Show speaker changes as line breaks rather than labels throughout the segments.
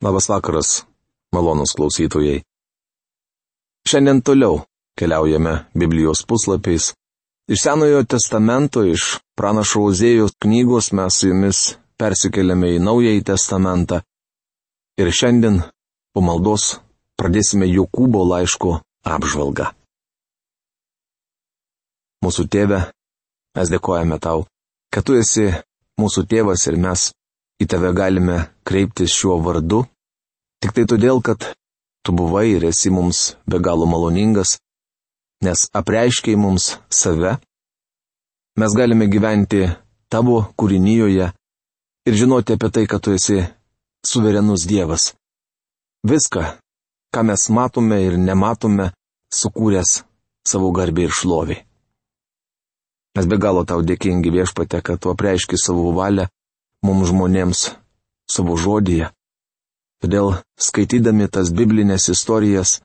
Labas vakaras, malonūs klausytojai. Šiandien toliau keliaujame Biblijos puslapiais. Iš Senojo testamento, iš pranašo Ozėjos knygos mes su jumis persikeliame į Naująjį testamentą. Ir šiandien po maldos pradėsime Jokūbo laiško apžvalgą. Mūsų tėve, mes dėkojame tau, kad tu esi mūsų tėvas ir mes į tave galime kreiptis šiuo vardu, tik tai todėl, kad tu buvai ir esi mums be galo maloningas, nes apreiškei mums save. Mes galime gyventi tavo kūrinijoje ir žinoti apie tai, kad tu esi suverenus Dievas. Viską, ką mes matome ir nematome, sukūręs savo garbę ir šlovį. Mes be galo tau dėkingi, Viešpatie, kad tu apreiški savo valią mums žmonėms savo žodyje. Todėl, skaitydami tas biblinės istorijas,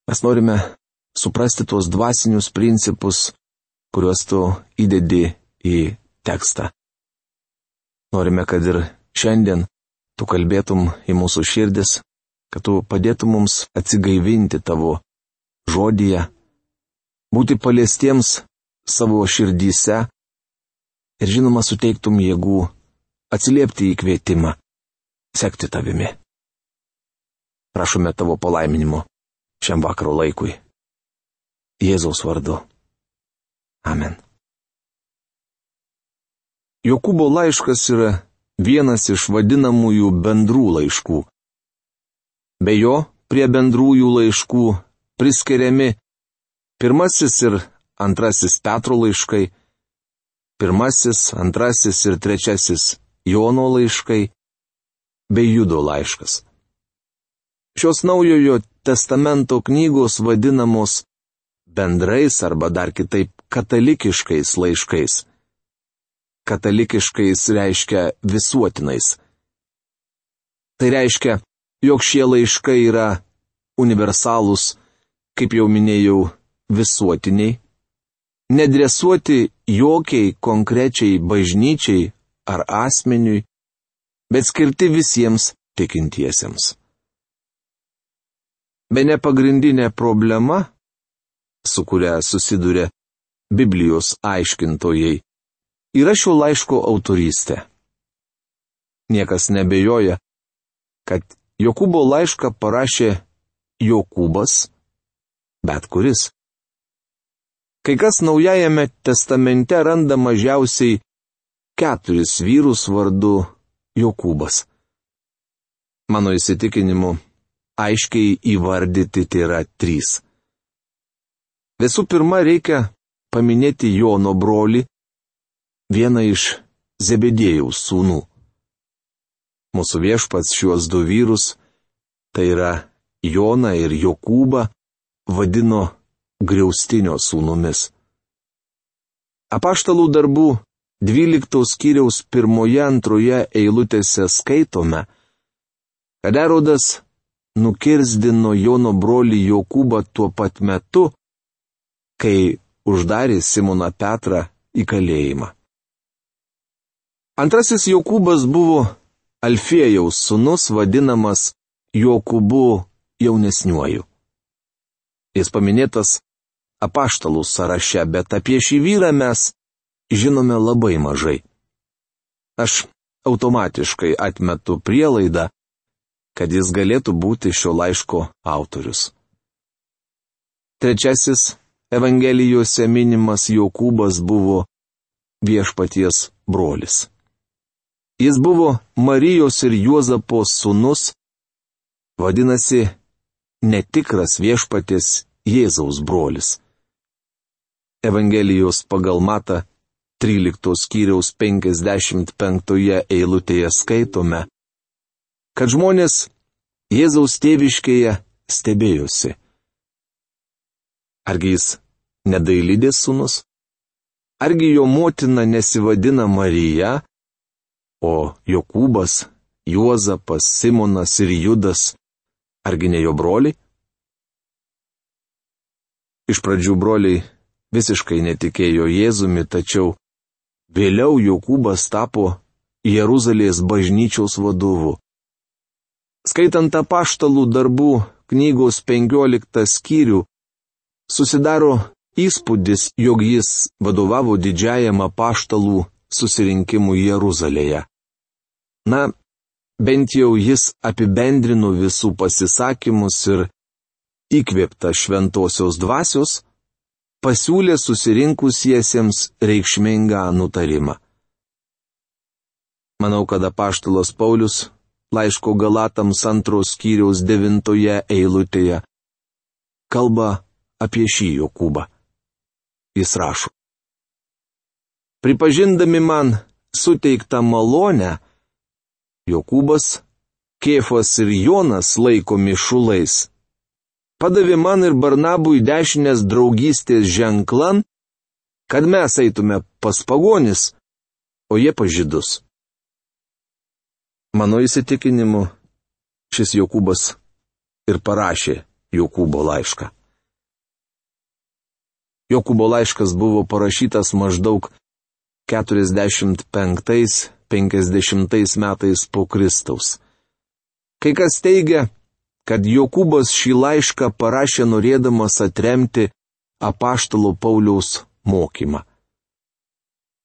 mes norime suprasti tuos dvasinius principus, kuriuos tu įdedi į tekstą. Norime, kad ir šiandien tu kalbėtum į mūsų širdis, kad tu padėtum mums atsigaivinti tavo žodyje, būti paliestiems savo širdyse ir žinoma suteiktum jėgų atsiliepti į kvietimą, sekti tavimi. Prašome tavo palaiminimo šiam vakaro laikui. Jėzaus vardu. Amen. Jokūbo laiškas yra vienas iš vadinamųjų bendrų laiškų. Be jo prie bendrųjų laiškų priskiriami pirmasis ir antrasis Petro laiškai, pirmasis, antrasis ir trečiasis Jono laiškai, bei Judo laiškas. Šios Naujojo testamento knygos vadinamos bendrais arba dar kitaip katalikiškais laiškais. Katalikiškais reiškia visuotinais. Tai reiškia, jog šie laiškai yra universalūs, kaip jau minėjau, visuotiniai, nedresuoti jokiai konkrečiai bažnyčiai ar asmeniui, bet skirti visiems tikintiesiems. Bene pagrindinė problema, su kuria susiduria Biblijos aiškintojai, yra šio laiško autorystė. Niekas nebejoja, kad Jokūbo laišką parašė Jokūbas, bet kuris. Kai kas Naujajame testamente randa mažiausiai 4 vyrus vardu Jokūbas. Mano įsitikinimu, aiškiai įvardyti tai yra 3. Visų pirma, reikia paminėti Jono brolį, vieną iš Zebedėjaus sūnų. Mūsų Viešpats šiuos 2 vyrus, tai yra Joną ir Jokūbą, vadino griaustinio sūnumis. Apaštalų darbų 12 skyriaus 1-2 eilutėse skaitome, kad Erodas nukirzdino Jono brolį Jokūbą tuo pat metu, kai uždarė Simoną Petrą į kalėjimą. Antrasis Jokūbas buvo Alfiejaus sūnus, vadinamas Jokūbu jaunesniuoju. Jis paminėtas apaštalų sąraše, bet apie šį vyrą mes žinome labai mažai. Aš automatiškai atmetu prielaidą, kad jis galėtų būti šio laiško autorius. Trečiasis Evangelijose minimas Jokūbas buvo Viešpaties brolis. Jis buvo Marijos ir Juozapo sūnus, vadinasi, netikras Viešpaties Jėzaus brolis. Evangelijos pagal Matą 13 skyriaus 55 eilutėje skaitome, kad žmonės Jėzaus tėviškėje stebėjosi. Argi jis nedailidės sūnus? Argi jo motina nesivadina Marija, o Jokūbas, Juozapas, Simonas ir Judas, argi ne jo broliai? Iš pradžių broliai visiškai netikėjo Jėzumi, tačiau vėliau Jokūbas tapo Jeruzalės bažnyčios vadovu. Skaitant apaštalų darbų knygos 15 skyrių, susidaro įspūdis, jog jis vadovavo didžiajam apaštalų susirinkimui Jeruzalėje. Na, bent jau jis apibendrino visų pasisakymus ir įkvėpta šventosios dvasios, pasiūlė susirinkusiesiems reikšmingą nutarimą. Manau, kad apaštalas Paulius laiško Galatams 2 skyriaus 9 eilutėje kalba apie šį Jokūbą. Jis rašo: Pripažindami man suteiktą malonę, Jokūbas, Kėfas ir Jonas laikomi šulais, padavė man ir Barnabui dešinės draugystės ženklan, kad mes eitume pas pagonis, o jie pas žydus. Mano įsitikinimu, šis Jokūbas ir parašė Jokūbo laišką. Jokūbo laiškas buvo parašytas maždaug 45-50 metais po Kristaus. Kai kas teigia, kad Jokūbas šį laišką parašė norėdamas atremti apaštalo Pauliaus mokymą.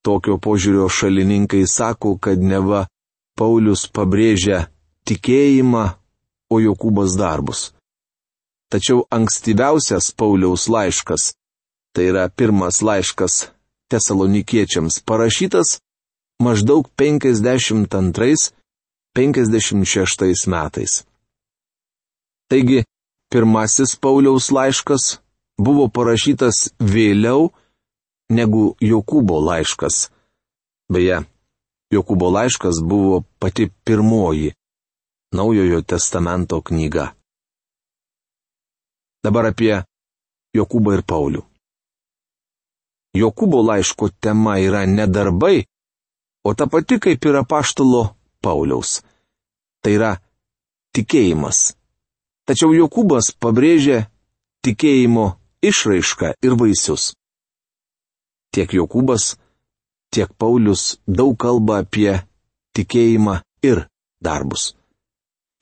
Tokio požiūrio šalininkai sako, kad neva Paulius pabrėžia tikėjimą, o Jokūbas darbus. Tačiau ankstyviausias Pauliaus laiškas, tai yra pirmas laiškas Tesalonikiečiams, parašytas maždaug 52-56 metais. Taigi, pirmasis Pauliaus laiškas buvo parašytas vėliau negu Jokūbo laiškas. Beje, Jokūbo laiškas buvo pati pirmoji Naujojo testamento knyga. Dabar apie Jokūbą ir Paulių. Jokūbo laiško tema yra ne darbai, o ta pati kaip ir apaštalo Pauliaus. Tai yra tikėjimas. Tačiau Jokūbas pabrėžia tikėjimo išraišką ir vaisius. Tiek Jokūbas, tiek Paulius daug kalba apie tikėjimą ir darbus.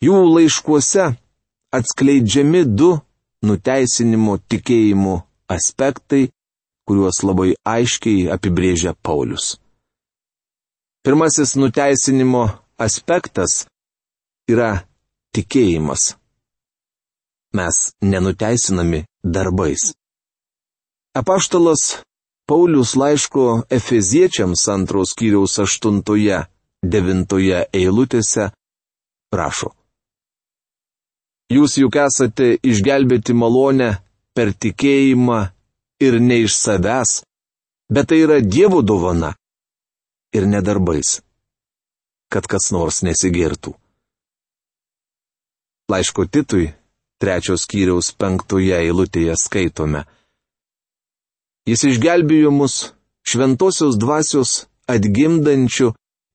Jų laiškuose atskleidžiami du nuteisinimo tikėjimo aspektai, kuriuos labai aiškiai apibrėžia Paulius. Pirmasis nuteisinimo aspektas yra tikėjimas. Mes nenuteisinami darbais. Apaštalas Paulius laiško Efeziečiams 2 skyriaus 8-9 eilutėse rašo: Jūs juk esate išgelbėti malonę per tikėjimą ir ne iš savęs, bet tai yra Dievo dovana ir ne darbais, kad kas nors nesigirtų. Laiško Titui 3 skyriaus 5 eilutėje skaitome: Jis išgelbėjo mus šventosios dvasios atgimdančių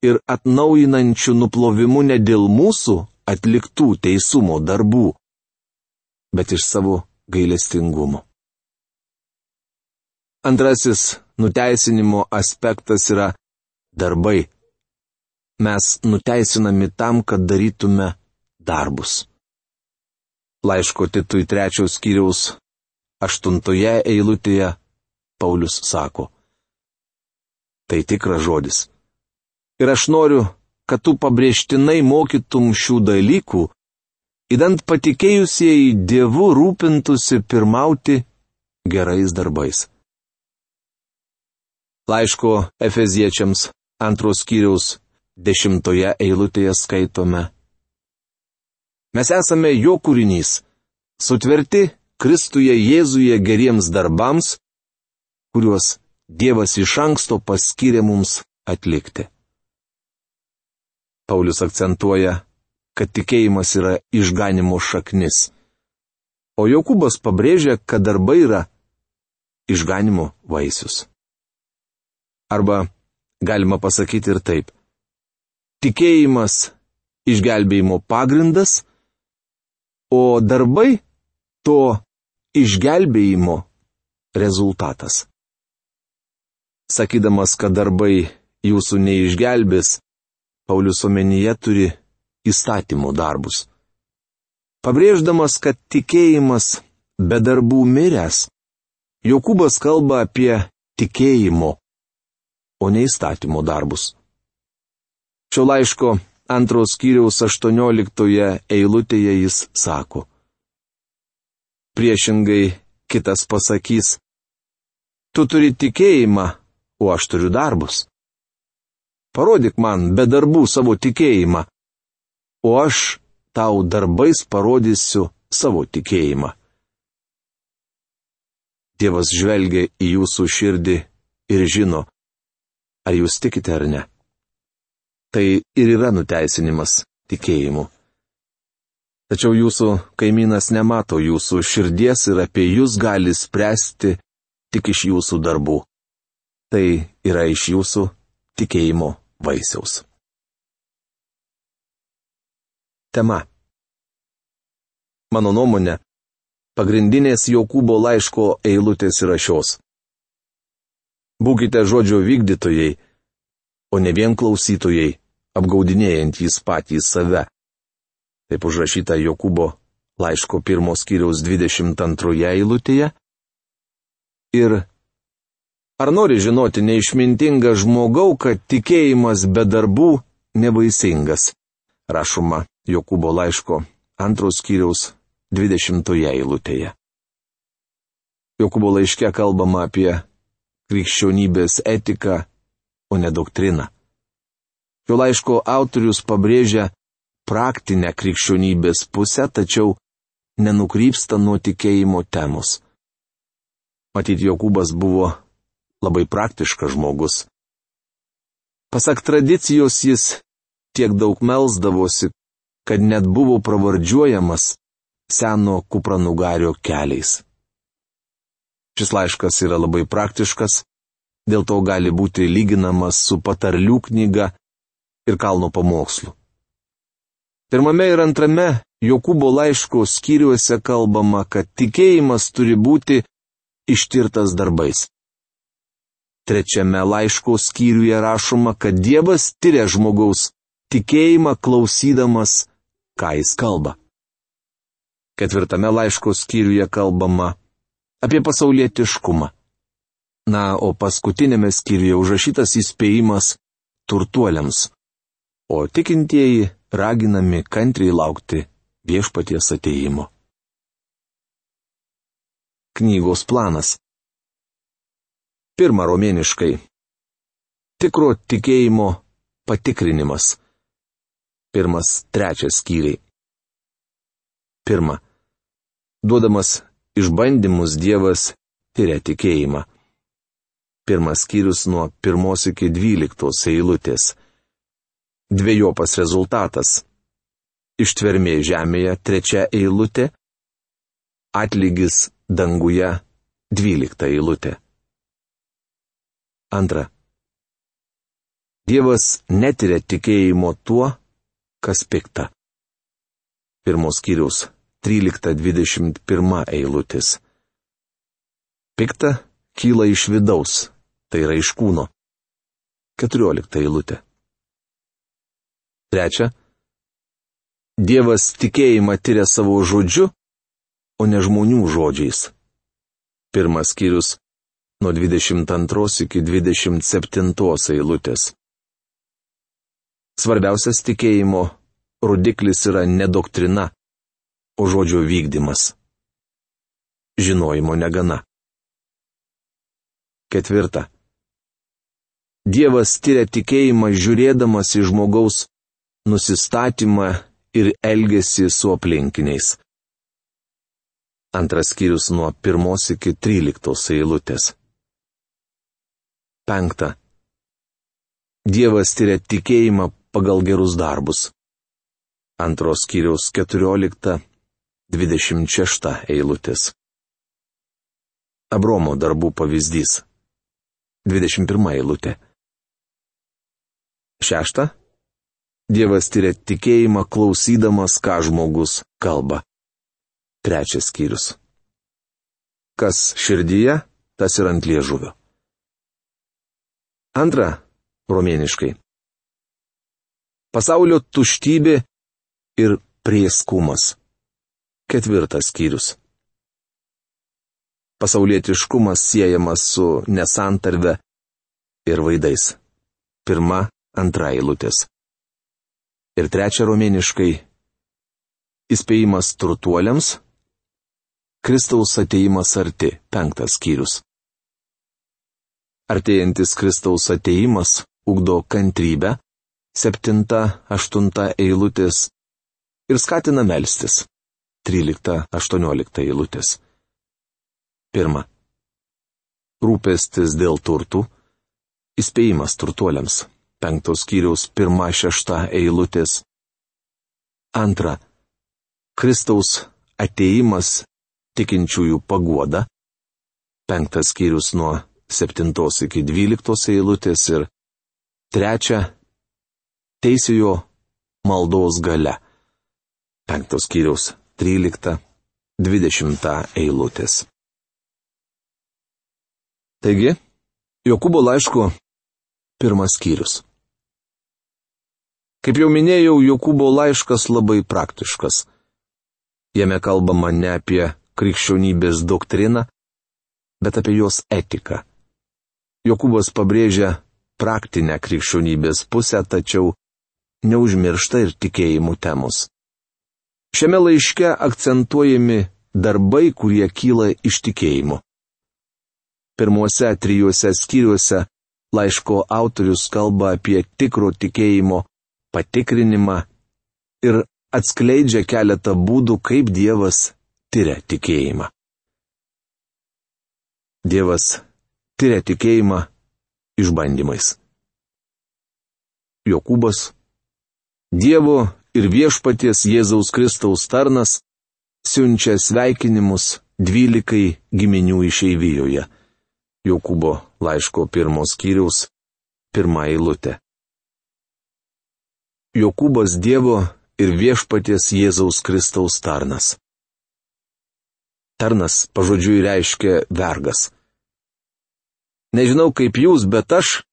ir atnaujinančių nuplovimu ne dėl mūsų atliktų teisumo darbų, bet iš savo gailestingumo. Antrasis nuteisinimo aspektas yra darbai. Mes nuteisinami tam, kad darytume darbus. Laiško Titui 3 skyriaus 8 eilutėje Paulius sako: Tai tikras žodis. Ir aš noriu, kad tu pabrėžtinai mokytum šių dalykų, idant patikėjusieji Dievu rūpintųsi pirmauti gerais darbais. Laiško Efeziečiams 2 skyriaus 10 eilutėje skaitome: Mes esame jo kūrinys, sutverti Kristuje Jėzuje geriems darbams, kuriuos Dievas iš anksto paskyrė mums atlikti. Paulius akcentuoja, kad tikėjimas yra išganimo šaknis, o Jokūbas pabrėžia, kad darbai yra išganimo vaisius. Arba galima pasakyti ir taip: tikėjimas išgelbėjimo pagrindas, o darbai to išgelbėjimo rezultatas. Sakydamas, kad darbai jūsų neišgelbės, Paulius omenyje turi įstatymų darbus. Pabrėždamas, kad tikėjimas be darbų miręs, Jokūbas kalba apie tikėjimo, o ne įstatymo darbus. Šio laiško 2 skyriaus 18 eilutėje jis sako: priešingai kitas pasakys: tu turi tikėjimą, o aš turiu darbus. Parodyk man be darbų savo tikėjimą, o aš tau darbais parodysiu savo tikėjimą. Dievas žvelgia į jūsų širdį ir žino, ar jūs tikite ar ne. Tai ir yra nuteisinimas tikėjimu. Tačiau jūsų kaimynas nemato jūsų širdies ir apie jūs gali spręsti tik iš jūsų darbų. Tai yra iš jūsų tikėjimo vaisiaus. Tema. Mano nuomonė, pagrindinės Jokūbo laiško eilutės yra šios: būkite žodžio vykdytojai, o ne vien klausytojai, apgaudinėjantys patys save. Taip užrašyta Jokūbo laiško 1 skyriaus 22 eilutėje. Ir ar nori žinoti neišmintingą žmogau, kad tikėjimas be darbų nevaisingas? Rašoma Jokūbo laiško 2 skyriaus 20 eilutėje. Jokūbo laiške kalbama apie krikščionybės etiką, o ne doktriną. Šio laiško autorius pabrėžia praktinę krikščionybės pusę, tačiau nenukrypsta nuo tikėjimo temos. Matyt, Jokūbas buvo labai praktiškas žmogus. Pasak tradicijos jis tiek daug melsdavosi, kad net buvo pravardžiuojamas seno kupranugario keliais. Šis laiškas yra labai praktiškas, dėl to gali būti lyginamas su patarlių knyga ir kalno pamokslu. 1 ir 2 Jokūbo laiško skyriuose kalbama, kad tikėjimas turi būti ištirtas darbais. 3 laiško skyriuje rašoma, kad Dievas tiria žmogaus tikėjimą klausydamas, ką jis kalba. 4 laiško skyriuje kalbama apie pasaulietiškumą. Na, o paskutinėme skyriuje užrašytas įspėjimas turtuoliams, o tikintieji raginami kantriai laukti viešpaties atėjimo. Knygos planas. 1 romėniškai. Tikro tikėjimo patikrinimas. 1-3 skyriai. 1. Duodamas išbandymus Dievas tiria tikėjimą. 1 skyrius nuo 1 iki 12 eilutės. Dvejopas rezultatas. Ištvermė žemėje 3 eilutė. Atlygis danguje 12 eilutė. 2. Dievas netiria tikėjimo tuo, kas pikta. 1 skyriaus 13-21 eilutės. Pikta kyla iš vidaus, tai yra iš kūno. 14 eilutė. 3. Dievas tikėjimą tiria savo žodžiu, o ne žmonių žodžiais. 1 skyrius nuo 22 iki 27 eilutės. Svarbiausias tikėjimo rodiklis yra ne doktrina, o žodžio vykdymas. Žinojimo negana. 4. Dievas tiria tikėjimą žiūrėdamas į žmogaus nusistatymą ir elgesį su aplinkiniais. 2 skyrius nuo 1 iki 13 eilutės. 5. Dievas tiria tikėjimą pagal gerus darbus. 2 skyriaus 14-26 eilutės. Abromo darbų pavyzdys. 21 eilutė. 6. Dievas tiria tikėjimą klausydamas, ką žmogus kalba. 3 skyrius. Kas širdyje, tas ir ant liežuvio. 2 romėniškai. Pasaulio tuštybė ir prieskumas. 4 skyrius. Pasaulietiškumas siejamas su nesantarve ir vaidais. 1, 2 eilutės. Ir 3 romėniškai įspėjimas turtuoliams, Kristaus atėjimas arti. 5 skyrius. Artėjantis Kristaus atėjimas ugdo kantrybę. 7, 8 eilutės ir skatina melstis. 13, 18 eilutės. 1. Rūpestis dėl turtų. Įspėjimas turtuoliams. 5 skyriaus 1-6 eilutės. 2. Kristaus atėjimas tikinčiųjų paguoda. 5 skyrius nuo 7 iki 12 eilutės ir 3. Teisėjo maldos galia. 5 skyriaus 13-20 eilutės. Taigi, Jokūbo laiško 1 skyrius. Kaip jau minėjau, Jokūbo laiškas labai praktiškas. Jame kalbama ne apie krikščionybės doktriną, bet apie jos etiką. Jokūbas pabrėžia praktinę krikščionybės pusę, tačiau neužmiršta ir tikėjimų temos. Šiame laiške akcentuojami darbai, kurie kyla iš tikėjimo. Pirmuose 3 skyriuose laiško autorius kalba apie tikro tikėjimo patikrinimą ir atskleidžia keletą būdų, kaip Dievas tiria tikėjimą. Dievas tiria tikėjimą išbandymais. Jokūbas, Dievo ir viešpaties Jėzaus Kristaus tarnas, siunčia sveikinimus 12 giminių išeivijoje. Jokūbo laiško 1 skyriaus 1 eilutė. Jokūbas Dievo ir viešpaties Jėzaus Kristaus tarnas. Tarnas pažodžiui reiškia vergas. Nežinau kaip jūs, bet aš,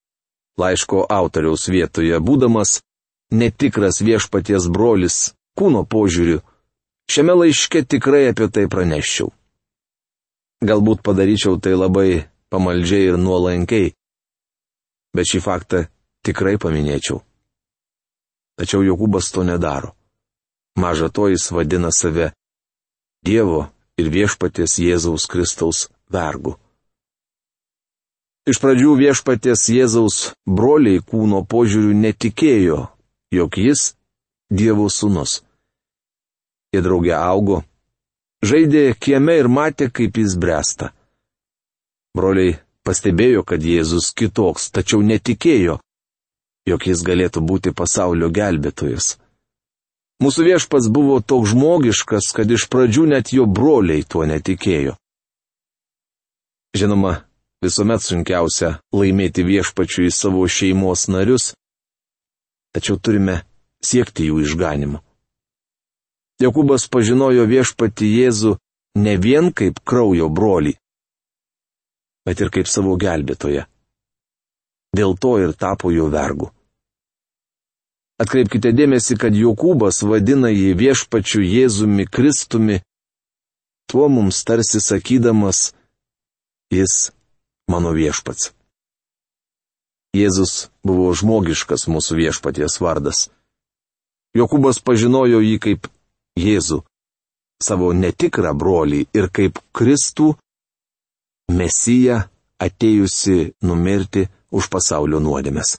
laiško autoriaus vietoje būdamas netikras viešpaties brolis kūno požiūriu, šiame laiške tikrai apie tai praneščiau. Galbūt padaryčiau tai labai pamaldžiai ir nuolankiai, bet šį faktą tikrai paminėčiau. Tačiau Jokūbas to nedaro. Maža to jis vadina save Dievo ir viešpaties Jėzaus Kristaus vergu. Iš pradžių viešpaties Jėzaus broliai kūno požiūriu netikėjo, jog jis Dievo sūnus. Jie drauge augo, žaidė kieme ir matė, kaip jis bręsta. Broliai pastebėjo, kad Jėzus kitoks, tačiau netikėjo, jog jis galėtų būti pasaulio gelbėtojas. Mūsų viešpats buvo toks žmogiškas, kad iš pradžių net jo broliai tuo netikėjo. Žinoma, visuomet sunkiausia laimėti viešpačiui savo šeimos narius, tačiau turime siekti jų išganimo. Jokūbas pažinojo viešpatį Jėzų ne vien kaip kraujo brolį, bet ir kaip savo gelbėtoją. Dėl to ir tapo jo vergu. Atkreipkite dėmesį, kad Jokūbas vadina jį viešpačiu Jėzumi Kristumi, tuo mums tarsi sakydamas, jis mano viešpats. Jėzus buvo žmogiškas mūsų viešpaties vardas. Jokūbas pažinojo jį kaip Jėzų, savo netikrą brolį ir kaip Kristų, Mesiją, atėjusi numirti už pasaulio nuodėmes.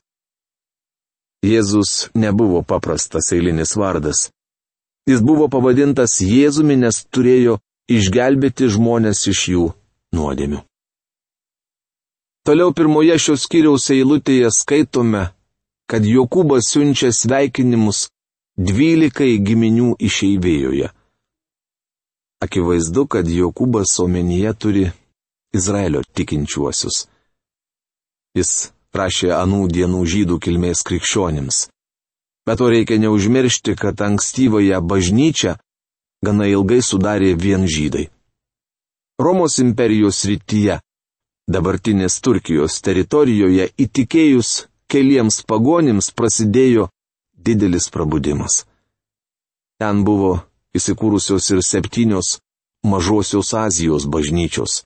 Jėzus nebuvo paprastas eilinis vardas. Jis buvo pavadintas Jėzumi, nes turėjo išgelbėti žmonės iš jų nuodėmių. Toliau 1 šios skyriaus eilutėje skaitome, kad Jokūbas siunčia sveikinimus 12 giminių išeivijoje. Akivaizdu, kad Jokūbas omenyje turi Izraelio tikinčiuosius. Jis rašė anų dienų žydų kilmės krikščionims. Bet to reikia neužmiršti, kad ankstyvąją bažnyčią gana ilgai sudarė vien žydai. Romos imperijos rytyje, dabartinės Turkijos teritorijoje, įtikėjus keliems pagonims prasidėjo didelis prabudimas. Ten buvo įsikūrusios ir 7 Mažosios Azijos bažnyčios.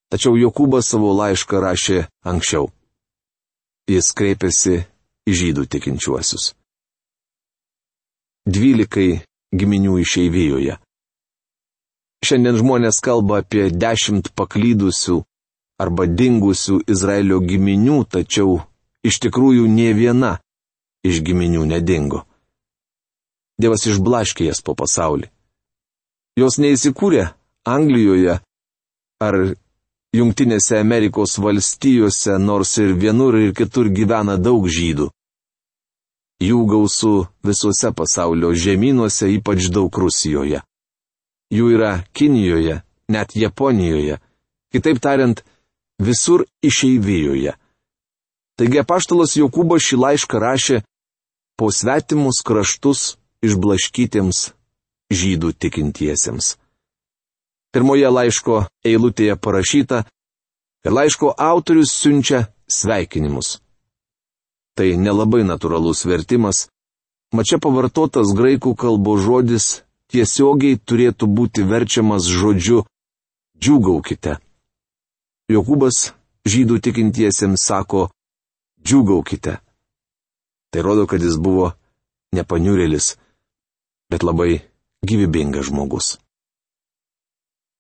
Tačiau Jokūbas savo laišką rašė anksčiau. Jis kreipėsi į žydų tikinčiuosius. 12 giminių išeivijoje. Šiandien žmonės kalba apie 10 paklydusių arba dingusių Izraelio giminių, tačiau iš tikrųjų nė viena iš giminių nedingo. Dievas išblaškė jas po pasaulį. Jos neįsikūrė Anglijoje ar Jungtinėse Amerikos valstijose, nors ir vienur ir kitur gyvena daug žydų. Jų gausu visuose pasaulio žemynuose, ypač daug Rusijoje. Jų yra Kinijoje, net Japonijoje, kitaip tariant, visur išeivijoje. Taigi apaštalas Jokūbas šį laišką rašė po svetimus kraštus išblaškytiems žydų tikintiesiems. Pirmoje laiško eilutėje parašyta, kad laiško autorius siunčia sveikinimus. Tai nelabai natūralus vertimas, mat čia pavartotas graikų kalbos žodis tiesiogiai turėtų būti verčiamas žodžiu džiūgaukite. Jokūbas žydų tikintiesiems sako džiūgaukite. Tai rodo, kad jis buvo nepaniurėlis, bet labai gyvybingas žmogus.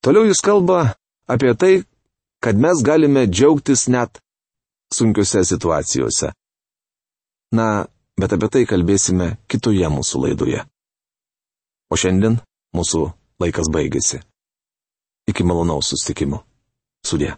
Toliau jis kalba apie tai, kad mes galime džiaugtis net sunkiose situacijose. Na, bet apie tai kalbėsime kitoje mūsų laidoje. O šiandien mūsų laikas baigėsi. Iki malonaus susitikimo. Sudie.